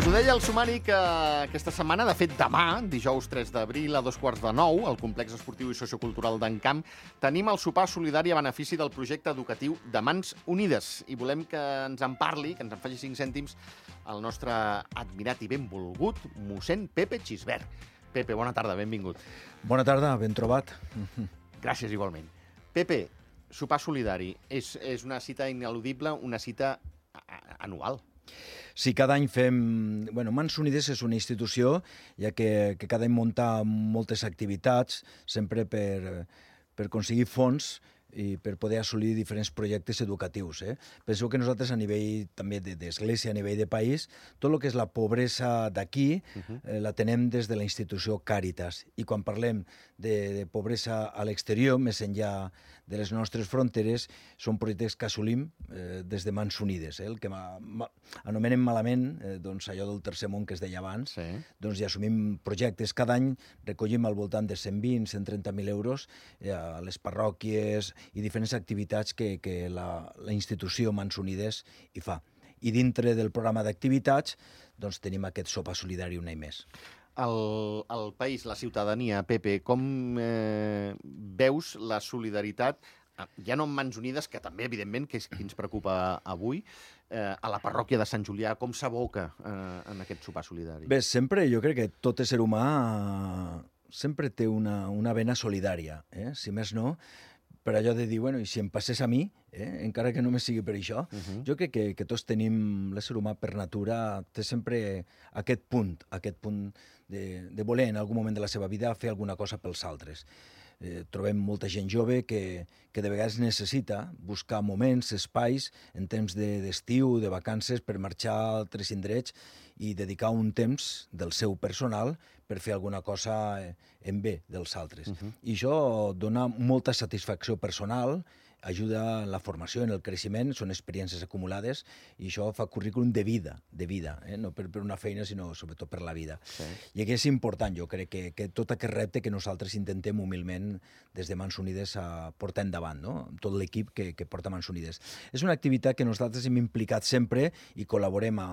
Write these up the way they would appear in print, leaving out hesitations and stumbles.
ho deia el sumari que aquesta setmana, de fet demà, dijous 3 d'abril a 8:45, al Complex Esportiu i Sociocultural d'Encamp, tenim el sopar solidari a benefici del projecte educatiu de Mans Unides. I volem que ens en parli, que ens en faci 5 cèntims, el nostre admirat i benvolgut mossèn Pepe Xisbert. Pepe, bona tarda, benvingut. Bona tarda, ben trobat. Gràcies, igualment. Pepe, sopar solidari és una cita ineludible, una cita anual. Sí, cada any fem... Mans Unides és una institució, ja que cada any munta moltes activitats, sempre per aconseguir fons i per poder assolir diferents projectes educatius. Penseu que nosaltres a nivell també d'església, a nivell de país, tot el que és la pobresa d'aquí la tenem des de la institució Càritas. I quan parlem de pobresa a l'exterior, més enllà de les nostres fronteres, són projectes que assolim des de Mans Unides. El que anomenem malament, allò del tercer món que es deia abans, doncs ja assumim projectes. Cada any recollim al voltant de 120-130.000 euros a les parròquies i diferents activitats que la institució Mans Unides hi fa. I dintre del programa d'activitats doncs tenim aquest sopar solidari un any més. El país, la ciutadania, Pepe, com veus la solidaritat, ja no en Mans Unides, que també, evidentment, que és qui ens preocupa avui, a la parròquia de Sant Julià, com s'aboca en aquest sopar solidari? Bé, sempre jo crec que tot ésser humà sempre té una vena solidària, si més no, per allò de dir, i si em passés a mi, encara que només sigui per això, jo crec que tots tenim, l'ésser humà per natura té sempre aquest punt de voler en algun moment de la seva vida fer alguna cosa pels altres. Trobem molta gent jove que de vegades necessita buscar moments, espais, en temps d'estiu, de vacances, per marxar a altres indrets i dedicar un temps del seu personal per fer alguna cosa en bé dels altres. I això dona molta satisfacció personal, ajuda en la formació, en el creixement, són experiències acumulades i això fa currículum de vida, no per una feina, sinó sobretot per la vida. I aquí és important, jo crec, que tot aquest repte que nosaltres intentem humilment des de Mans Unides a portar endavant, tot l'equip que porta Mans Unides. És una activitat que nosaltres hem implicat sempre i col·laborem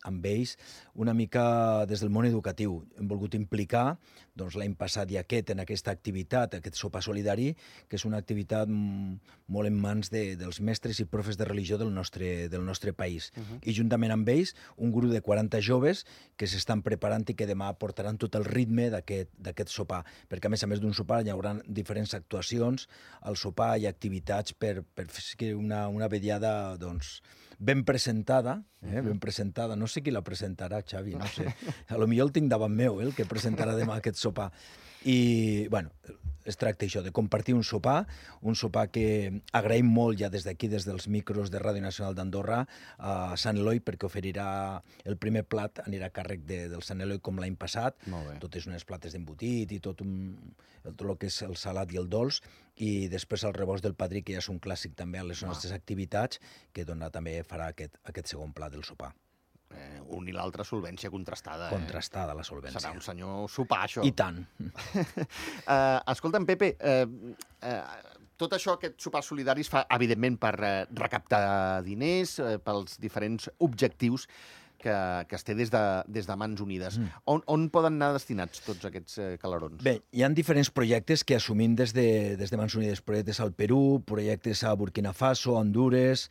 amb ells una mica des del món educatiu. Hem volgut implicar l'any passat i en aquesta activitat, aquest sopar solidari, que és una activitat molt en mans dels mestres i profes de religió del nostre país. I juntament amb ells, un grup de 40 joves que s'estan preparant i que demà portaran tot el ritme d'aquest sopar, perquè a més d'un sopar hi haurà diferents actuacions, al sopar hi ha activitats per fer una vetllada ben presentada, no sé qui la presentarà, Xavi, no sé, potser el tinc davant meu, el que presentarà demà aquest sopar. I, es tracta això, de compartir un sopar que agraïm molt ja des d'aquí, des dels micros de Ràdio Nacional d'Andorra, a Sant Eloi, perquè oferirà el primer plat, anirà a càrrec del Sant Eloi com l'any passat, totes unes plates d'embotit i tot el que és el salat i el dolç, i després el rebost del padrí, que ja és un clàssic també a les nostres activitats, que també farà aquest segon plat del sopar. Un i l'altre solvència contrastada. Contrastada, la solvència. Serà un senyor sopar, això. I tant. Escolta'm, Pepe, tot això, aquest sopar solidari es fa, evidentment, per recaptar diners, pels diferents objectius que es té des de Mans Unides. On poden anar destinats tots aquests calerons? Bé, hi ha diferents projectes que assumim des de Mans Unides. Projectes al Perú, projectes a Burkina Faso, a Hondures,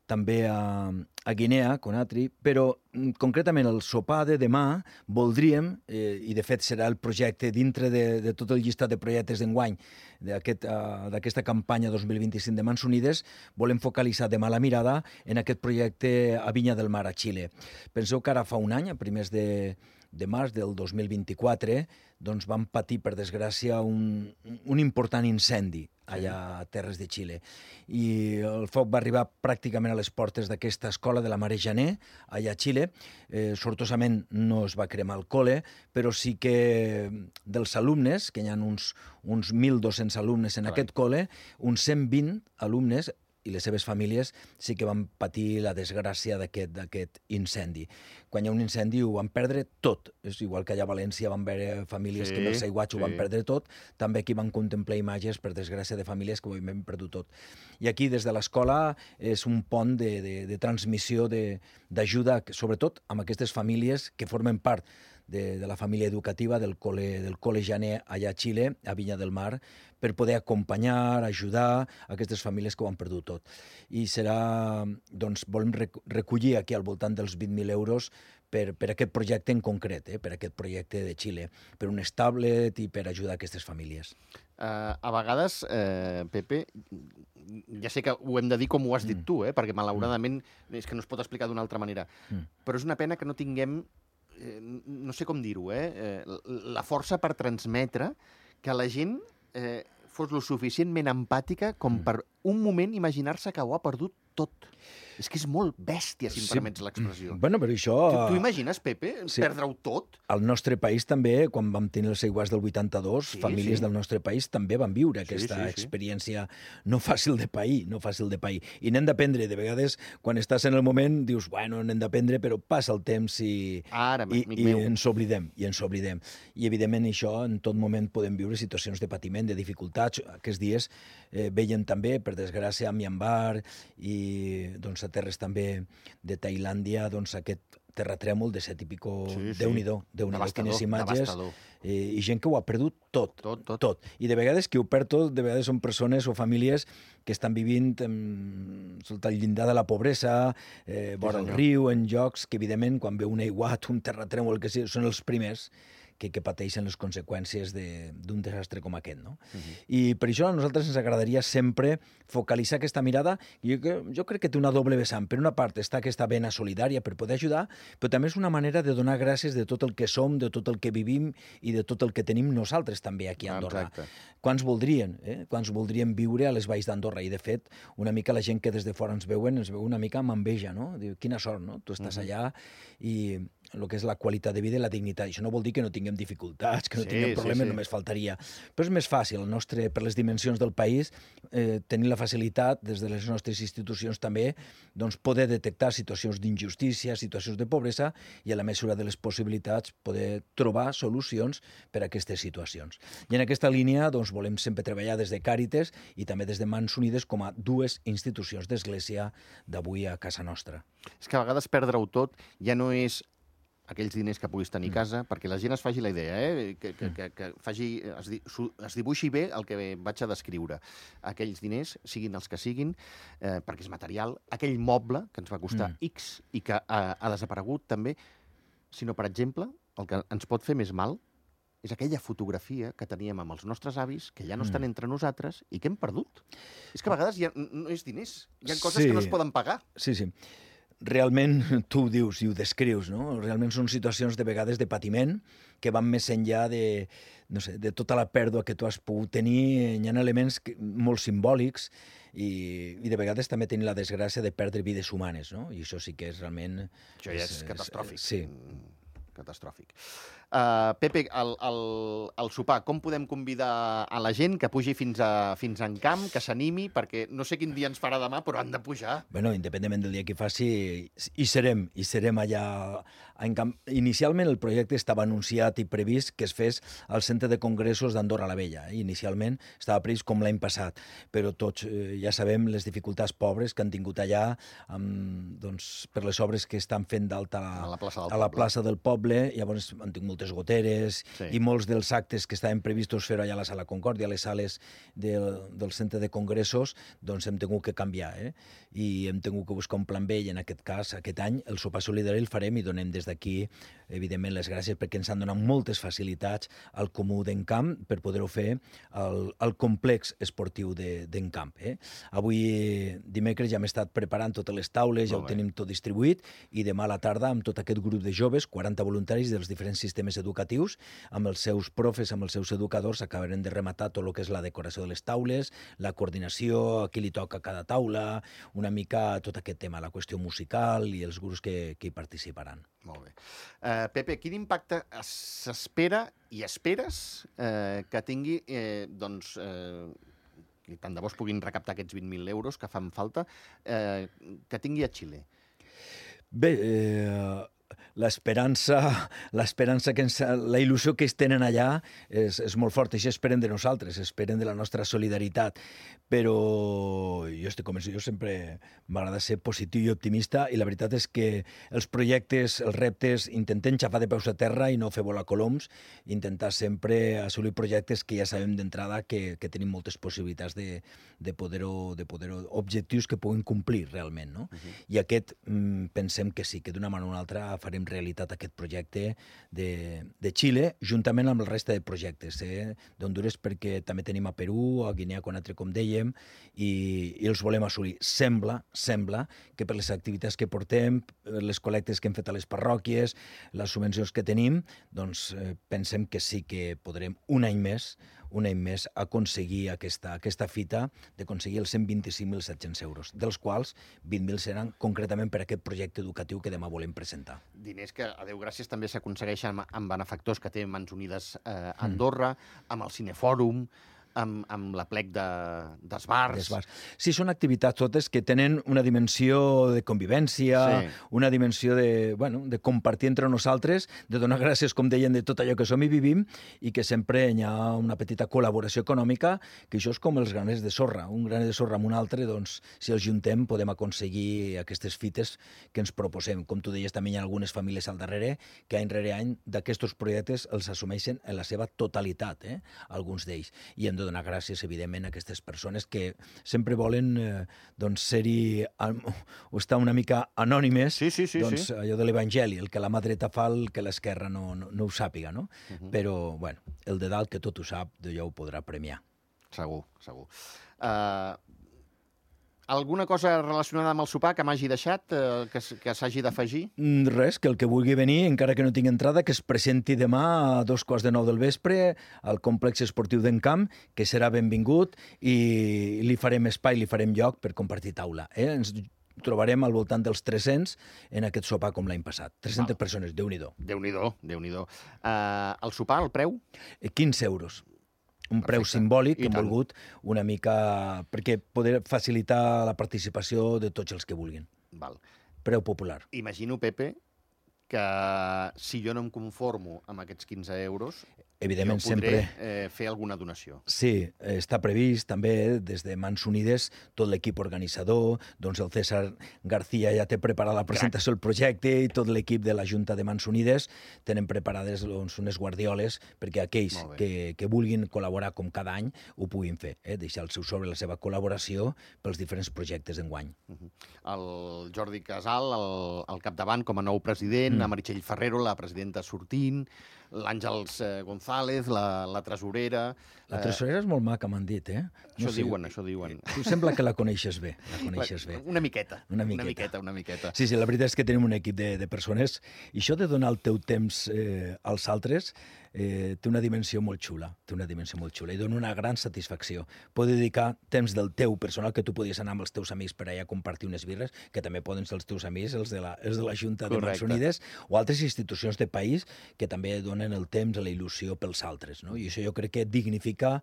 també a Guinea, Conakry, però concretament el sopar de demà voldríem, i de fet serà el projecte dintre de tot el llistat de projectes d'enguany d'aquesta campanya 2025 de Mans Unides, volem focalitzar demà la mirada en aquest projecte a Vinya del Mar, a Xile. Penseu que ara fa un any, a primers de març del 2024, doncs vam patir, per desgràcia, un important incendi allà a terres de Xile. I el foc va arribar pràcticament a les portes d'aquesta escola de la Mare Janer, allà a Xile. Sortosament no es va cremar el col·le, però sí que dels alumnes, que hi ha uns 1.200 alumnes en aquest col·le, uns 120 alumnes i les seves famílies sí que van patir la desgràcia d'aquest incendi. Quan hi ha un incendi ho van perdre tot. És igual que allà a València van veure famílies que amb el Saiguatx ho van perdre tot, també aquí van contemplar imatges, per desgràcia, de famílies que ho havien perdut tot. I aquí, des de l'escola, és un pont de transmissió, d'ajuda, sobretot amb aquestes famílies que formen part de la família educativa del col·le Janer allà a Xile, a Vinya del Mar, per poder acompanyar, ajudar aquestes famílies que ho han perdut tot. I serà, doncs, volem recollir aquí al voltant dels 20.000 euros per aquest projecte en concret, per aquest projecte de Xile, per un tablet i per ajudar aquestes famílies. A vegades, Pepe, ja sé que ho hem de dir com ho has dit tu, perquè malauradament és que no es pot explicar d'una altra manera, però és una pena que no tinguem, no sé com dir-ho, la força per transmetre que la gent fos lo suficientment empàtica com per un moment imaginar-se que ho ha perdut tot. És que és molt bèstia, si em permets l'expressió. Bueno, però això... Tu imagines, Pepe, perdre-ho tot? Al nostre país també, quan vam tenir el Saiguàs del 82, famílies del nostre país també van viure aquesta experiència no fàcil de pair, no fàcil de pair. I n'hem d'aprendre. De vegades, quan estàs en el moment, dius, bueno, n'hem d'aprendre, però passa el temps i ens oblidem. I, evidentment, això, en tot moment podem viure situacions de patiment, de dificultats. Aquests dies veiem també, per desgràcia, a Myanmar i, doncs, a terres també de Tailàndia, doncs aquest terratrèmol de 7 i pico, Déu-n'hi-do, quines imatges, i gent que ho ha perdut tot. I de vegades qui ho perd tot, de vegades són persones o famílies que estan vivint sota el llindar de la pobresa, vora el riu, en llocs que, evidentment, quan veu un aiguat, un terratrèmol, que són els primers que pateixen les conseqüències d'un desastre com aquest, no? I per això a nosaltres ens agradaria sempre focalitzar aquesta mirada. Jo crec que té una doble vessant. Per una part està aquesta vena solidària per poder ajudar, però també és una manera de donar gràcies de tot el que som, de tot el que vivim i de tot el que tenim nosaltres també aquí a Andorra. Quants voldrien viure a les valls d'Andorra? I, de fet, una mica la gent que des de fora ens veu una mica amb enveja, no? Diu, quina sort, no? Tu estàs allà i el que és la qualitat de vida i la dignitat. Això no vol dir que no tinguem dificultats, que no tinguem problemes, només faltaria. Però és més fàcil, per les dimensions del país, tenir la facilitat, des de les nostres institucions també, doncs poder detectar situacions d'injustícia, situacions de pobresa, i a la mesura de les possibilitats poder trobar solucions per a aquestes situacions. I en aquesta línia doncs, volem sempre treballar des de Càritas i també des de Mans Unides com a dues institucions d'església d'avui a casa nostra. És que a vegades perdre-ho tot ja no és aquells diners que puguis tenir a casa, perquè la gent es faci la idea, que es dibuixi bé el que vaig a descriure. Aquells diners, siguin els que siguin, perquè és material, aquell moble que ens va costar X i que ha desaparegut també, sinó, per exemple, el que ens pot fer més mal és aquella fotografia que teníem amb els nostres avis, que ja no estan entre nosaltres i que hem perdut. És que a vegades no és diners, hi ha coses que no es poden pagar. Sí. Realment, tu ho dius i ho descrius, no? Realment són situacions de vegades de patiment que van més enllà de tota la pèrdua que tu has pogut tenir. Hi ha elements molt simbòlics i de vegades també tenir la desgràcia de perdre vides humanes, no? I això sí que és realment... Això ja és catastròfic. Sí. Catastròfic. Pepe, al sopar, com podem convidar a la gent que pugi fins en camp, que s'animi, perquè no sé quin dia ens farà demà, però han de pujar. Bueno, independentment del dia que faci, hi serem allà en camp. Inicialment el projecte estava anunciat i previst que es fes al Centre de Congressos d'Andorra la Vella. Inicialment estava previst com l'any passat, però tots ja sabem les dificultats pobres que han tingut allà per les obres que estan fent d'alta a la plaça del poble. Llavors han tingut moltes goteres i molts dels actes que estaven previstos fer allà a la Sala Concòrdia, a les sales del Centre de Congressos, doncs hem tingut que canviar, i hem tingut que buscar un plan B, i en aquest cas, aquest any, el sopar solidari el farem i donem des d'aquí, evidentment, les gràcies perquè ens han donat moltes facilitats al Comú d'Encamp per poder-ho fer al complex esportiu d'Encamp. Avui, dimecres, ja hem estat preparant totes les taules, ja ho tenim tot distribuït, i demà a la tarda, amb tot aquest grup de joves, 40 voluntaris dels diferents sistemes educatius, amb els seus profes, amb els seus educadors, acabarem de rematar tot el que és la decoració de les taules, la coordinació, a qui li toca cada taula, una mica tot aquest tema, la qüestió musical i els grups que hi participaran. Molt bé. Pepe, quin impacte s'espera i esperes que tingui i tant de bo es puguin recaptar aquests 20.000 euros que fan falta, que tingui a Xile? Bé, l'esperança que la il·lusió que es tenen allà és molt forta. Això esperen de nosaltres, esperen de la nostra solidaritat. Però jo estic convençut, jo sempre m'agrada ser positiu i optimista, i la veritat és que els projectes, els reptes, intentem xafar de peus a terra i no fer volar coloms, intentar sempre assolir projectes que ja sabem d'entrada que tenim moltes possibilitats de poder-ho, objectius que puguin complir realment, no? I aquest pensem que sí, que d'una manera o una altra farem realitat aquest projecte de Xile, juntament amb el resta de projectes d'Honduras, perquè també tenim a Perú, a Guinea Conakry, com dèiem, i els volem assolir. Sembla que per les activitats que portem, les col·lectes que hem fet a les parròquies, les subvencions que tenim, doncs pensem que sí que podrem un any més aconseguir aquesta fita d'aconseguir els 125.700 euros, dels quals 20.000 seran concretament per aquest projecte educatiu que demà volem presentar. Diners que, a Déu gràcies, també s'aconsegueixen amb benefactors que té Mans Unides a Andorra, amb el Cinefòrum, amb la plec d'esbars. Sí, són activitats totes que tenen una dimensió de convivència, una dimensió de compartir entre nosaltres, de donar gràcies, com deien, de tot allò que som i vivim, i que sempre hi ha una petita col·laboració econòmica, que això és com els graners de sorra. Un graner de sorra amb un altre, doncs, si els juntem, podem aconseguir aquestes fites que ens proposem. Com tu deies, també hi ha algunes famílies al darrere que any rere any d'aquests projectes els assumeixen en la seva totalitat, alguns d'ells. I hem de donar gràcies, evidentment, a aquestes persones que sempre volen ser-hi o estar una mica anònimes, allò de l'Evangeli, el que la mà dreta fa, el que l'esquerra no ho sàpiga, no? Però, bueno, el de dalt, que tot ho sap, d'allò ho podrà premiar. Segur. Alguna cosa relacionada amb el sopar que m'hagi deixat, que s'hagi d'afegir? Res, que el que vulgui venir, encara que no tingui entrada, que es presenti demà a 2:15 del vespre al complex esportiu d'Encamp, que serà benvingut, i li farem espai, li farem lloc per compartir taula. Ens trobarem al voltant dels 300 en aquest sopar com l'any passat. 300 persones, Déu-n'hi-do. Déu-n'hi-do. El sopar, el preu? 15 euros. Un preu simbòlic que hem volgut una mica perquè poder facilitar la participació de tots els que vulguin. Preu popular. Imagino, Pepe, que si jo no em conformo amb aquests 15 euros, evidentment, jo podré fer alguna donació. Sí, està previst també des de Mans Unides tot l'equip organitzador, doncs el César García ja té preparada la presentació del projecte i tot l'equip de la Junta de Mans Unides tenen preparades unes guardioles perquè aquells que vulguin col·laborar com cada any ho puguin fer, deixar el seu sobre la seva col·laboració pels diferents projectes d'enguany. El Jordi Casal al capdavant com a nou president, la Meritxell Ferrero, la presidenta sortint, l'Àngels González, la tresorera... La tresorera és molt maca, m'han dit, Això diuen. Tu sembla que la coneixes bé. Una miqueta. Sí, la veritat és que tenim un equip de persones, i això de donar el teu temps als altres té una dimensió molt xula, i dona una gran satisfacció. Poder dedicar temps del teu personal, que tu podies anar amb els teus amics per allà a compartir unes birres, que també poden ser els teus amics, els de la Junta de Mans Unides, o altres institucions de país que també donen el temps, la il·lusió pels altres, no? I això jo crec que dignifica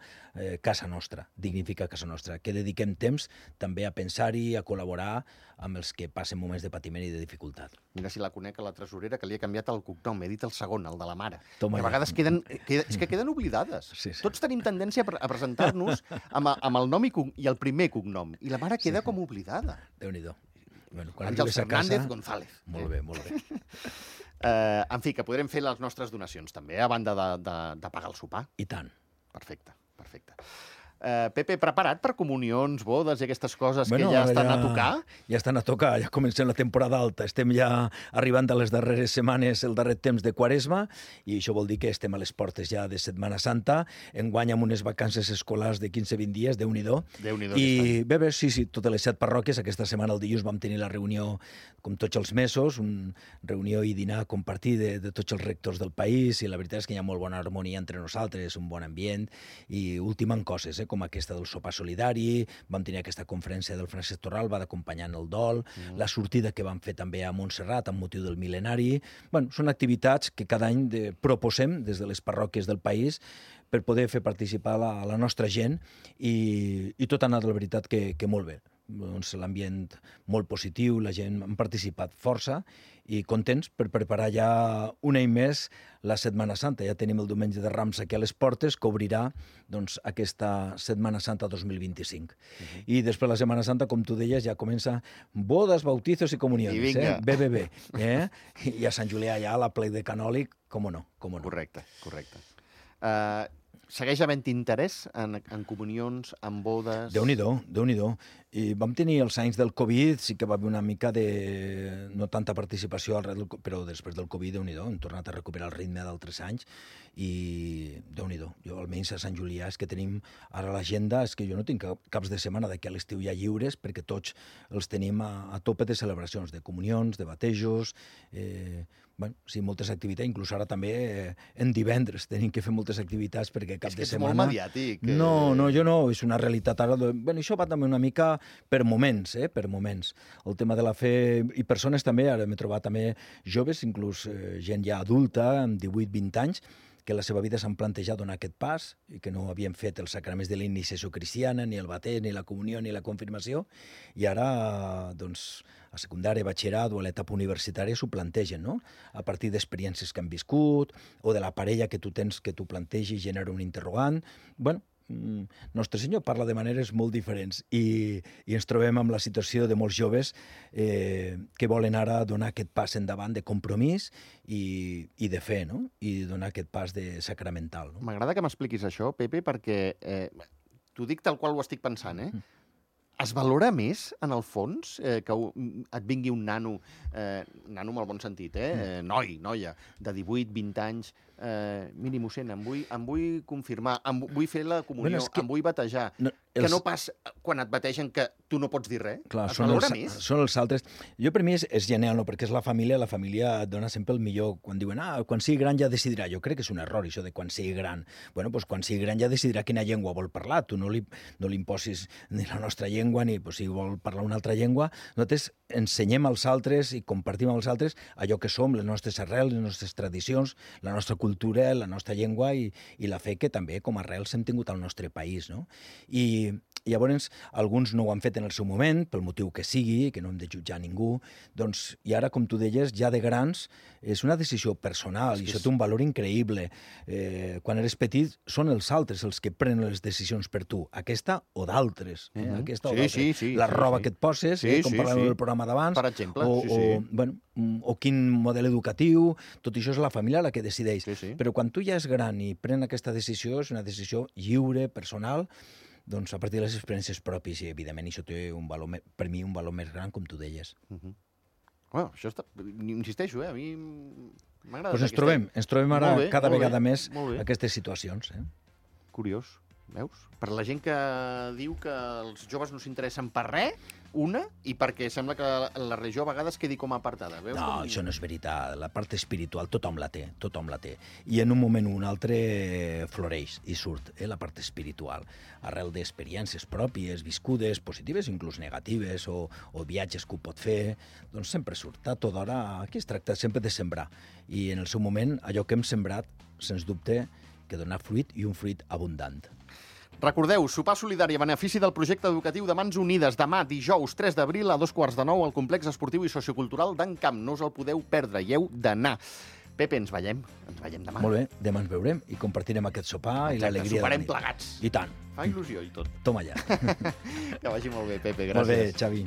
casa nostra, que dediquem temps també a pensar-hi, a col·laborar amb els que passen moments de patiment i de dificultat. Mira si la conec, a la tresorera, que li ha canviat el cognom, he dit el segon, el de la mare. Que a vegades queden oblidades. Tots tenim tendència a presentar-nos amb el nom i el primer cognom, i la mare queda com oblidada. Déu-n'hi-do. Àngels Fernández González. Molt bé. En fi, que podrem fer les nostres donacions també, a banda de pagar el sopar. I tant. Perfecte. Pepe, preparat per comunions, bodes i aquestes coses que ja estan a tocar? Ja estan a tocar, ja comencem la temporada alta. Estem ja arribant a les darreres setmanes, el darrer temps de Quaresma, i això vol dir que estem a les portes ja de Setmana Santa. Enguany amb unes vacances escolars de 15-20 dies, Déu-n'hi-do. I bé, sí, totes les 7 parròquies. Aquesta setmana, el dilluns, vam tenir la reunió, com tots els mesos, una reunió i dinar compartir de tots els rectors del país, i la veritat és que hi ha molt bona harmonia entre nosaltres, un bon ambient, i ultimant coses, com aquesta del sopar solidari, vam tenir aquesta conferència del Francesc Torral, va d'acompanyant el dol, la sortida que vam fer també a Montserrat amb motiu del mil·lenari. Són activitats que cada any proposem des de les parròquies del país per poder fer participar la nostra gent i tot ha anat, la veritat, que molt bé. Doncs l'ambient molt positiu, la gent han participat força i contents per preparar ja un any més la Setmana Santa. Ja tenim el Diumenge de Rams aquí a les portes, que obrirà doncs, aquesta Setmana Santa 2025. I després la Setmana Santa, com tu deies, ja comença bodes, bautizos i comunions. BBB. I a Sant Julià ja la plec de canòlic, com no. Correcte. Segueix havent interès en comunions, en bodes... Déu-n'hi-do. I vam tenir els anys del Covid, sí que va haver una mica de... no tanta participació, però després del Covid, Déu-n'hi-do, hem tornat a recuperar el ritme d'altres anys i Déu-n'hi-do. Jo, almenys a Sant Julià, és que tenim ara l'agenda, és que jo no tinc caps de setmana d'aquí a l'estiu ja lliures, perquè tots els tenim a tope de celebracions, de comunions, de batejos... sí, moltes activitats, inclús ara també en divendres tenim que fer moltes activitats perquè cap de setmana... És que ets molt mediàtic. No, jo no, és una realitat ara... Això va també una mica per moments, per moments. El tema de la fe i persones també, ara m'he trobat també joves, inclús gent ja adulta, amb 18-20 anys, que la seva vida s'han plantejat donar aquest pas i que no havien fet els sacraments de la iniciació cristiana, ni el bateig, ni la comunió, ni la confirmació, i ara, doncs, a secundària, batxillerat o a l'etapa universitària s'ho plantegen, no? A partir d'experiències que han viscut o de la parella que tu tens, que tu plantegis, genera un interrogant. Bueno, Nostre Senyor parla de maneres molt diferents i ens trobem amb la situació de molts joves que volen ara donar aquest pas endavant de compromís i de fe, no? I donar aquest pas de sacramental. No? M'agrada que m'expliquis això, Pepe, perquè t'ho dic tal qual ho estic pensant, Es valora més, en el fons, que et vingui un nano en el bon sentit, noia, de 18-20 anys, miri, mossèn, em vull confirmar, vull fer la comunió, em vull batejar, que no pas quan et bategen que tu no pots dir res? Clar, es valora més? Són els altres. Jo, per mi, és genial, no? Perquè és la família et dona sempre el millor. Quan diuen, quan sigui gran ja decidirà. Jo crec que és un error, això de quan sigui gran. Bueno, doncs quan sigui gran ja decidirà quina llengua vol parlar. Tu no li imposis ni la nostra llengua, ni si vol parlar una altra llengua. Nosaltres ensenyem als altres i compartim amb els altres allò que som, les nostres arrels, les nostres tradicions, la nostra cultura, la nostra llengua i la fe que també com a arrels hem tingut al nostre país, no? I llavors alguns no ho han fet en el seu moment, pel motiu que sigui, que no hem de jutjar ningú, doncs, i ara, com tu deies, ja de grans, és una decisió personal i això té un valor increïble. Quan eres petit són els altres els que prenen les decisions per tu, aquesta o d'altres. Aquesta o d'altres. La roba que et poses, com parlàvem del programa d'abans, per exemple, o quin model educatiu, tot això és la família la que decideix. Però quan tu ja és gran i pren aquesta decisió, és una decisió lliure, personal, doncs a partir de les experiències pròpies i, evidentment, això té un valor, per mi, un valor més gran, com tu deies. Bueno, això està... Insisteixo, a mi m'agrada... Doncs ens trobem ara cada vegada més aquestes situacions. Curiós, veus? Per la gent que diu que els joves no s'interessen per res, i perquè sembla que la religió a vegades quedi com apartada. Veus? No, això no és veritat. La part espiritual tothom la té. I en un moment o un altre floreix i surt la part espiritual, arrel d'experiències pròpies, viscudes, positives, inclús negatives, o viatges que ho pot fer, doncs sempre surt. A tota hora, aquí es tracta sempre de sembrar. I en el seu moment, allò que hem sembrat, sens dubte, que dona fruit i un fruit abundant. Recordeu, sopar solidari a benefici del projecte educatiu de Mans Unides demà, dijous 3 d'abril a 2:15 al complex esportiu i sociocultural d'en Camp. No us el podeu perdre, hi heu d'anar. Pepe, ens veiem demà. Molt bé, demà ens veurem i compartirem aquest sopar i l'alegria de la nit. Soparem plegats. I tant. Fa il·lusió i tot. Toma ja. Que vagi molt bé, Pepe, gràcies. Molt bé, Xavi.